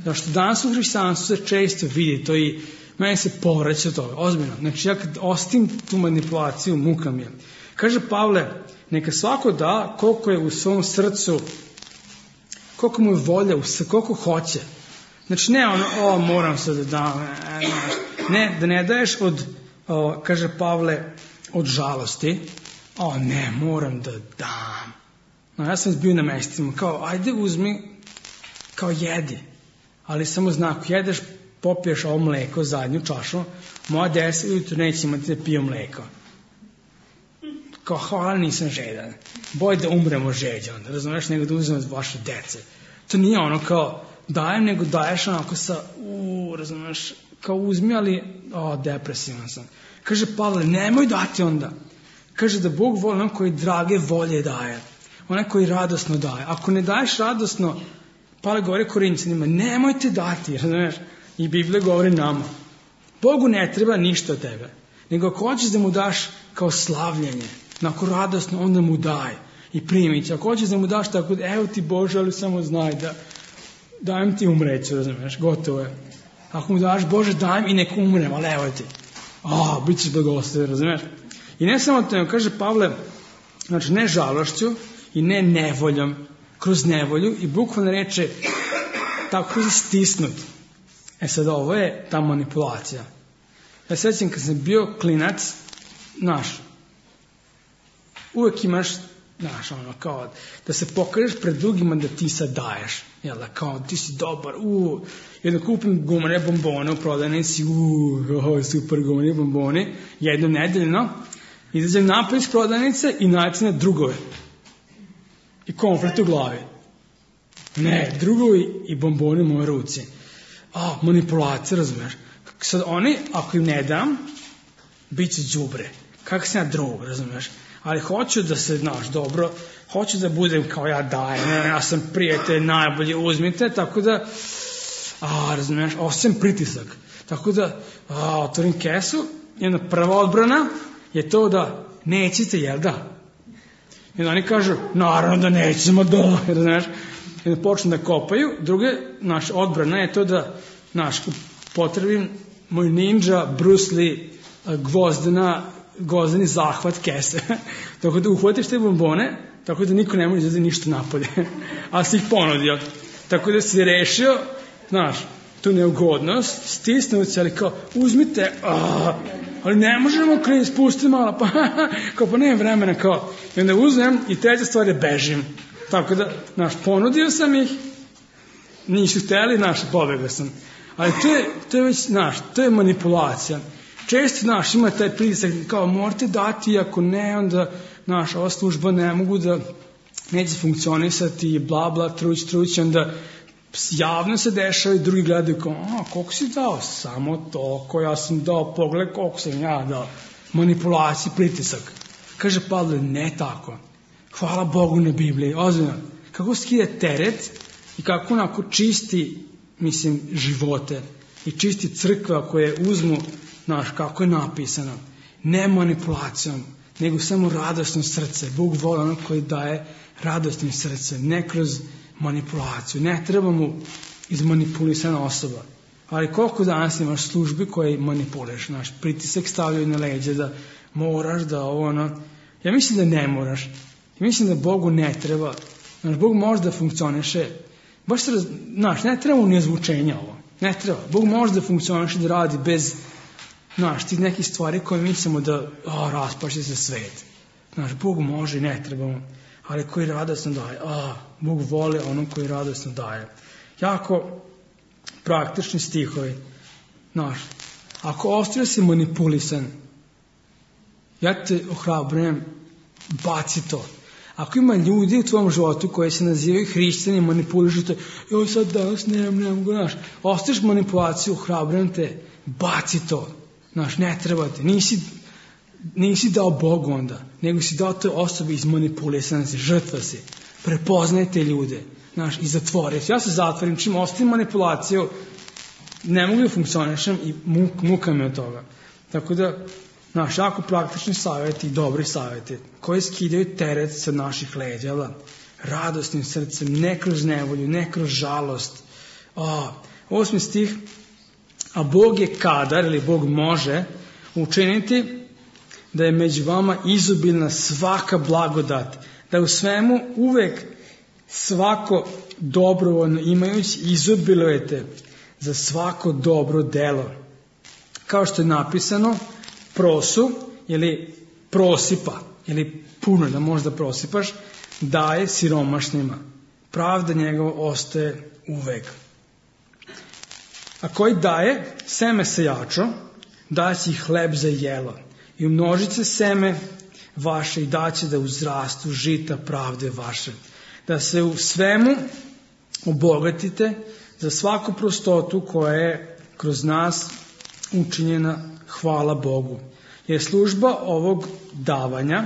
Zašto danas u hrišćanstvu se često vidi to i meni se povraća toga, ozbiljno. Znači ja kad ostim tu manipulaciju, muka mi je. Kaže Pavle, neka svako da koliko je u svom srcu, koliko mu je volja, koliko hoće. Znači ne ono, o moram se da dam, ne, da ne daješ od, o, kaže Pavle, od žalosti, o ne, moram da dam. No, ja sam bio na mestima, kao ajde uzmi, kao jedi, ali samo znak, jedeš, popiješ ovo mleko, zadnju čašu, moja deset ujutro neće imati da pije mleko. Kao, hvala, nisam žedan. Boj da umremo žeđa onda, razumiješ, nego da uzmem od vaše dece. To nije ono kao dajem, nego daješ onako sa, uuu, razumiješ, kao uzmi, ali, o, depresivan sam. Kaže Pavle, nemoj dati onda. Kaže da Bog voli on koji drage volje daje. Onaj koji radosno daje. Ako ne daješ radosno, Pavle govori Korinćanima, nemojte dati, razumiješ? I Biblija govori nama. Bogu ne treba ništa od tebe. Nego ako hoćeš da mu daš kao slavljenje, ako radosno, onda mu daj i primi će. Ako hoćeš da mu daš tako, evo ti Bože, ali samo znaj da dajem ti umreću, razumiješ, gotovo je. Ako mu daš, Bože, dajem i nek umrem, ali evo ti. A, bit ćeš blagosloven, razumiješ. I ne samo to, kaže Pavle, znači ne žalošću i ne nevoljom, kroz nevolju i bukvalno reče tako stisnut. E sad ovo je ta manipulacija. Ja sećam kad sam bio klinac, znaš, uvek imaš, znaš, ono, kao da se pokažeš pred drugima da ti sad daješ, jel da, kao ti si dobar, uuu, jedno kupim gumane bombone u prodavnici, uuu, super gumane bombone, jedno nedeljno, izađem napad iz prodavnice i naći na drugove. I konflikt u glavi. Ne, drugovi i bombone u moje ruci. A, manipulacija, razumiješ. Sad oni, ako im ne dam, bit će đubre. Kako sam ja drug, razumiješ. Ali hoću da se, znaš, dobro, hoću da budem kao ja dajem, ne, ja sam prijatelj, najbolje uzmite, tako da, a, razumiješ, osjećam pritisak. Tako da, a, otvorim kesu, jedna prva odbrana je to da nećete, jel da? I onda oni kažu, naravno da nećemo, da, razumiješ. I da počnu da kopaju. Druga, naš odbrana je to da, naš, potrebim moj ninja, Bruce Lee, gvozdena, gvozdeni zahvat kese. Tako da uhvatiš te bombone, tako da niko ne može da ništa napolje. A si ih ponudio. Tako da si rešio, znaš, tu neugodnost, stisnuo se, ali kao, uzmite, a, ali ne možemo kriz, spusti malo, pa, kao, pa nema vremena, kao, i onda uzmem i treća stvar je bežim. Tako da, znaš, ponudio sam ih, nisu hteli, znaš, pobegao sam. Ali to je, to je već, znaš, to je manipulacija. Često, znaš, ima taj pritisak, kao, morate dati, ako ne, onda, znaš, ova služba ne mogu da, neće funkcionisati, bla, bla, truć, truć, onda javno se dešava i drugi gledaju kao, a, koliko si dao? Samo toliko, ja sam dao, pogled koliko sam ja dao. Manipulacija, pritisak. Kaže Pavle, ne tako. Hvala Bogu na Bibliji, ozbiljno. Kako skida teret i kako onako čisti, mislim, živote i čisti crkva koje uzmu, znaš, kako je napisano, ne manipulacijom, nego samo radosno srce. Bog voli ono koji daje radosnim srcem, ne kroz manipulaciju. Ne treba mu izmanipulisana osoba. Ali koliko danas imaš službi koje manipuliraš, znaš, pritisak stavljaju na leđe da moraš, da ovo, ono. Ja mislim da ne moraš. Ja mislim da Bogu ne treba. Znaš, Bog može da funkcioniše. Baš se, raz... znaš, ne treba mu nezvučenja ovo. Ne treba. Bog može da funkcioniše, da radi bez, znaš, tih nekih stvari koje mislimo da, o, raspaše se svet. Znaš, Bog može i ne treba mu. Ali koji radosno daje. A, Bog voli ono koji radosno daje. Jako praktični stihovi. Znaš, ako ostaje si manipulisan, ja te ohrabrujem, baci to. Ako ima ljudi u tvom životu koji se nazivaju hrišćani, manipulišu te, joj sad danas ne, ne mogu, znaš, ostaješ manipulaciju, ohrabrujem te, baci to. Znaš, ne treba te, nisi, nisi dao Bogu onda, nego si dao toj osobi izmanipulisan si, žrtva si. Prepoznaj te ljude, znaš, i zatvori. Ja se zatvorim, čim ostavim manipulaciju, ne mogu da funkcionišem i muk, muka me od toga. Tako da, znaš, jako praktični savjeti i dobri savjeti koji skidaju teret sa naših leđa, radosnim srcem, ne kroz nevolju, ne kroz žalost. O, osmi stih, a Bog je kadar, ili Bog može učiniti da je među vama izobilna svaka blagodat, da u svemu uvek svako dobrovoljno imajući izobilujete za svako dobro delo. Kao što je napisano, prosu ili prosipa ili puno da možda prosipaš, daje siromašnima. Pravda njegova ostaje uvek. A koji daje seme sejačo, daje si hleb za jelo i umnožit se seme vaše i daće da uzrastu žita pravde vaše. Da se u svemu obogatite za svaku prostotu koja je kroz nas učinjena, hvala Bogu. Jer služba ovog davanja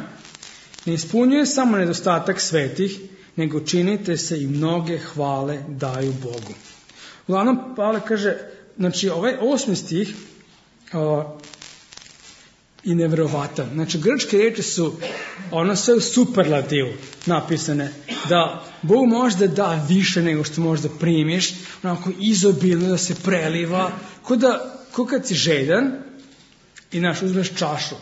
ne ispunjuje samo nedostatak svetih, nego činite se i mnoge hvale daju Bogu. Uglavnom, Pavle kaže, znači ovaj osmi stih uh, i nevjerovatan. Znači, grčke riječi su ono sve u superlativu napisane, da Bog može da da više nego što možda primiš, onako izobilno da se preliva, ko da, ko kad si žedan i naš uzmeš čašu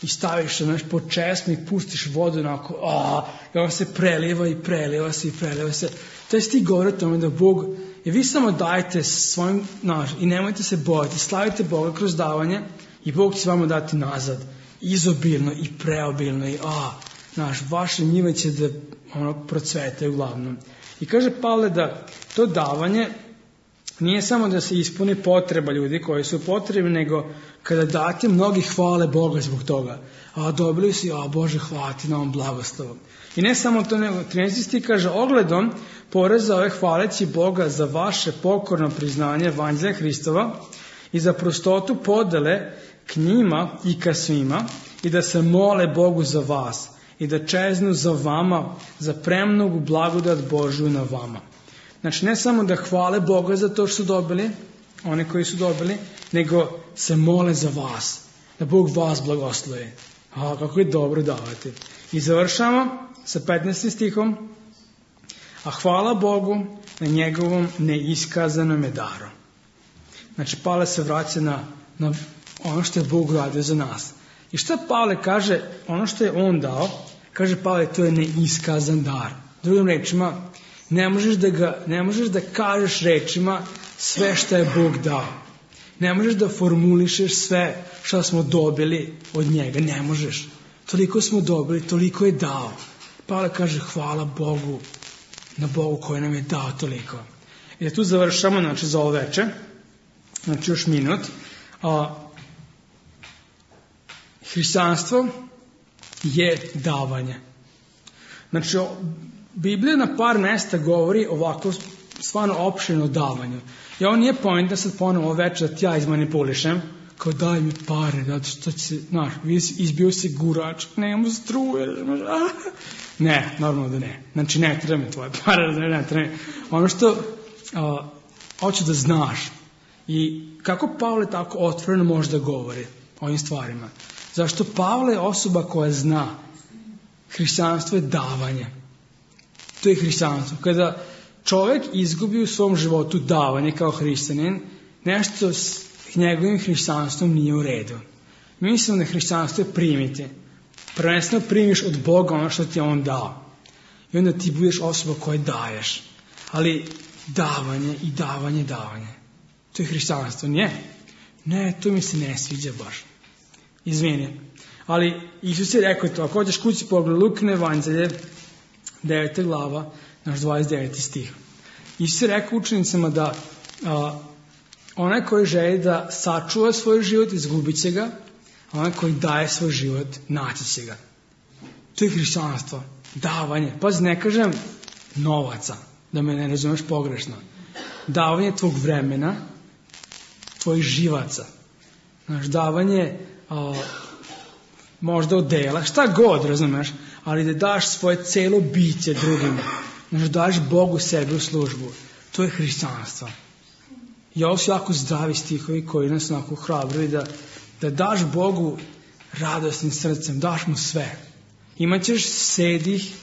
i staviš se, znaš, pod česmi i pustiš vodu onako, a, i on se preliva i preliva se i preliva se. To je stih govori o tome da Bog, i vi samo dajte svojim, znaš, i nemojte se bojati, slavite Boga kroz davanje i Bog će vama dati nazad, izobilno i preobilno i a, znaš, vaše njive će da ono procvetaju uglavnom. I kaže Pavle da to davanje nije samo da se ispuni potreba ljudi koji su potrebni, nego kada date, mnogi hvale Boga zbog toga. A dobili si, a Bože, hvala ti na ovom blagoslovom. I ne samo to, nego trinaesti stih kaže, ogledom poreza ove hvaleći Boga za vaše pokorno priznanje evanđelja Hristova i za prostotu podele k njima i ka svima i da se mole Bogu za vas i da čeznu za vama za premnogu blagodat Božju na vama. Znači, ne samo da hvale Boga za to što su dobili, one koji su dobili, nego se mole za vas, da Bog vas blagoslovi. A, kako je dobro davati. I završamo sa petnaestim stihom, a hvala Bogu na njegovom neiskazanom daru. Znači, Pavle se vraća na, na ono što je Bog radio za nas. I šta Pavle kaže, ono što je on dao, kaže Pavle, to je neiskazan dar. Drugim rečima, Ne možeš da ga, ne možeš da kažeš rečima sve što je Bog dao. Ne možeš da formulišeš sve što smo dobili od njega. Ne možeš. Toliko smo dobili, toliko je dao. Pavle kaže hvala Bogu, na Bogu koji nam je dao toliko. I da tu završamo, znači, za ovo veče. Znači, još minut. A, hrišćanstvo je davanje. Znači, Biblija na par mesta govori ovako stvarno opširno o davanju. I ovo nije point da sad ponovo večer da ti ja izmanipulišem, kao daj mi pare, zato što će, znaš, izbio si gurač, nemamo struje, ne, normalno da ne. Znači, ne treba mi tvoje pare, ne, ne treba mi. Ono što a, hoću da znaš i kako Pavle tako otvoreno može da govori o ovim stvarima. Zašto Pavle je osoba koja zna hrišćanstvo je davanje. To je hrišćanstvo. Kada čovjek izgubi u svom životu davanje kao hrišćanin, nešto s njegovim hrišćanstvom nije u redu. Mi mislimo da hrišćanstvo je primiti. Prvenstveno primiš od Boga ono što ti je On dao. I onda ti budeš osoba koja daješ. Ali davanje i davanje, davanje. To je hrišćanstvo. Ne, ne, to mi se ne sviđa baš. Izvini. Ali Isus je rekao to, ako hoćeš kući pogled Lukine evanđelje, deveta glava, naš dvadeset deveti stih. Isus je rekao učenicama da a, onaj koji želi da sačuva svoj život, izgubit će ga, a onaj koji daje svoj život, naći će ga. To je hrišćanstvo. Davanje. Pazi, ne kažem novaca, da me ne razumeš pogrešno. Davanje tvog vremena, tvojih živaca. Znaš, davanje a, možda odela, šta god, razumeš, ali da daš svoje celo biće drugima. Znaš, daš Bogu sebi u službu. To je hrišćanstvo. I ovo su jako zdravi stihovi koji nas onako hrabruju da, da daš Bogu radosnim srcem, daš mu sve. Imaćeš sedih,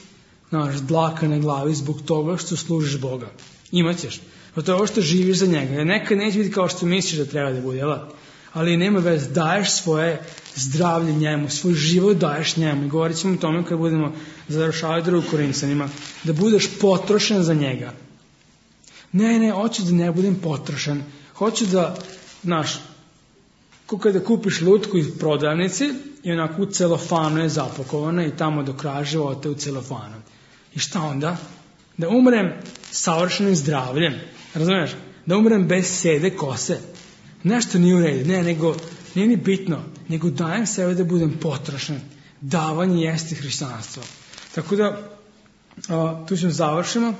znaš, dlaka na glavi zbog toga što služiš Boga. Imaćeš. Pa to je ovo što živiš za njega. Jer nekad neće biti kao što misliš da treba da bude, jel? Ali nema veze, daješ svoje zdravlje njemu, svoj život daješ njemu. I govorit ćemo o tome kad budemo završavati drugu Korinćanima, da budeš potrošen za njega. Ne, ne, hoću da ne budem potrošen. Hoću da, znaš, kada kupiš lutku iz prodavnici i onako u celofanu je zapakovana i tamo do kraja života u celofanu. I šta onda? Da umrem savršenim zdravljem. Razumiješ? Da umrem bez sede kose. Nešto nije u redu. Ne, nego, nije ni bitno. Nego dajem sebe da budem potrošen. Davanje jeste hrišćanstvo. Tako da, a, tu ćemo završimo.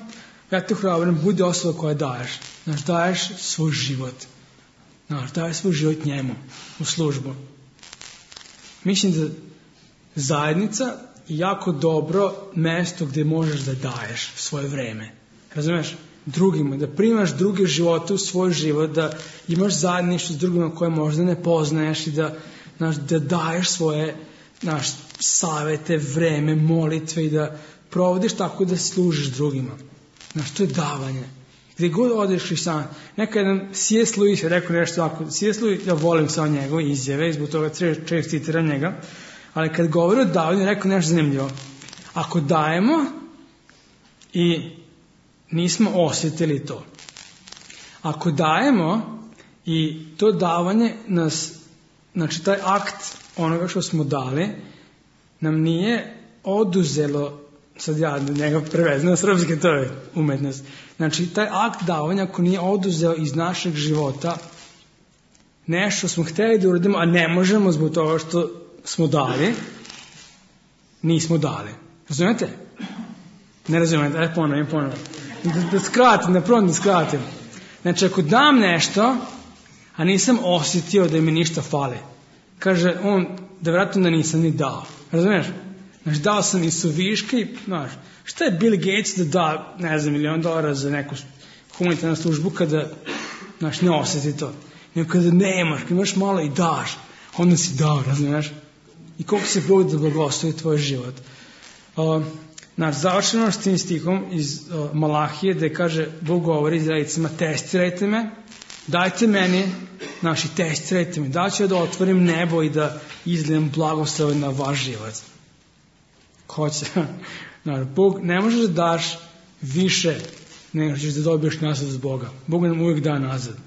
Ja te hrabrim, budi osoba koja daješ. Znaš, daješ svoj život. Znaš, daješ svoj život njemu u službu. Mislim da zajednica je jako dobro mesto gdje možeš da daješ svoje vreme. Razumiješ? Drugima, da primaš druge živote u svoj život, da imaš zajedništvo s drugima koje možda ne poznaješ i da, znaš, da daješ svoje, znaš, savete, vreme, molitve i da provodiš tako da služiš drugima. Znaš, to je davanje. Gdje god odeš hrišćan, nekad jedan C S Lewis je rekao nešto ovako, C S Lewis, ja volim samo njegove izjave, zbog toga često citiram njega, ali kad govori o davanju, je rekao nešto zanimljivo. Ako dajemo i nismo osjetili to, ako dajemo i to davanje nas, znači taj akt onoga što smo dali, nam nije oduzelo, sad ja njega prevezam na srpski, to je umetnost. Znači, taj akt davanja, ako nije oduzeo iz našeg života nešto smo htjeli da uradimo, a ne možemo zbog toga što smo dali, nismo dali. Razumijete? Ne razumijete? Ajde ponovim, ponovim. Da, da skratim, da probam da skratim. Znači, ako dam nešto, a nisam osjetio da mi ništa fali, kaže on, da vjerojatno da nisam ni dao. Razumiješ? Znači, dao sam i suviške i, znaš, šta je Bill Gates da da, ne znam, milion dolara za neku humanitarnu službu kada, znaš, ne osjeti to. Nego kada nemaš, kada imaš malo i daš, onda si dao, razumiješ? I koliko se Bog da blagoslovi tvoj život. Uh, znaš, završeno s tim stihom iz uh, Malahije, gde kaže, Bog govori Izraelicima, testirajte me, dajte meni, znaš, i testirajte me, da ću da otvorim nebo i da izlijem blagoslov na vaš život. Hoće. Znaš, Bog, ne možeš da daš više nego ćeš da dobiješ nazad od Boga. Bog nam uvijek da nazad.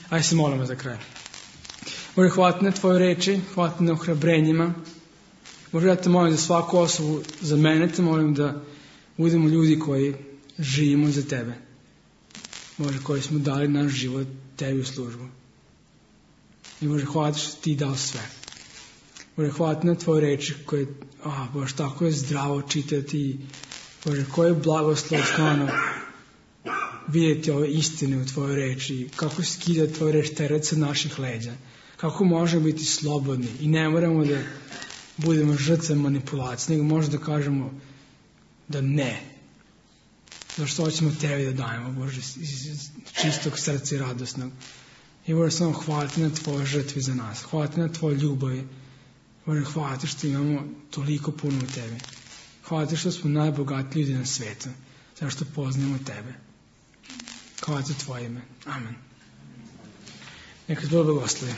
Aj se molimo za kraj. Bože, hvala ti na tvoje reči, hvala ti na ohrabrenjima. Bože, ja te molim za svaku osobu, za mene te molim da budemo ljudi koji živimo za tebe. Bože, koji smo dali naš život tebi u službu. I Bože, hvala ti što ti dao sve. Bože, hvala ti na tvoje reči koje, a Bože, tako je zdravo čitati. Bože, koje je blagoslov stvarno vidjeti ove istine u tvojoj reči, kako skida tvoja reč teret sa naših leđa, kako možemo biti slobodni i ne moramo da budemo žrtve manipulacije, nego možemo da kažemo da ne. Zašto hoćemo tebi da dajemo, Bože, iz čistog srca i radosnog. I Bože, samo hvala ti na tvoje žrtvi za nas, hvala ti na tvoje ljubavi. Bože, hvala ti što imamo toliko puno u tebi. Hvala ti što smo najbogatiji ljudi na svijetu, zašto poznajemo tebe. Hvala ti tvoje ime. Amen. Neka te Bog blagoslovi.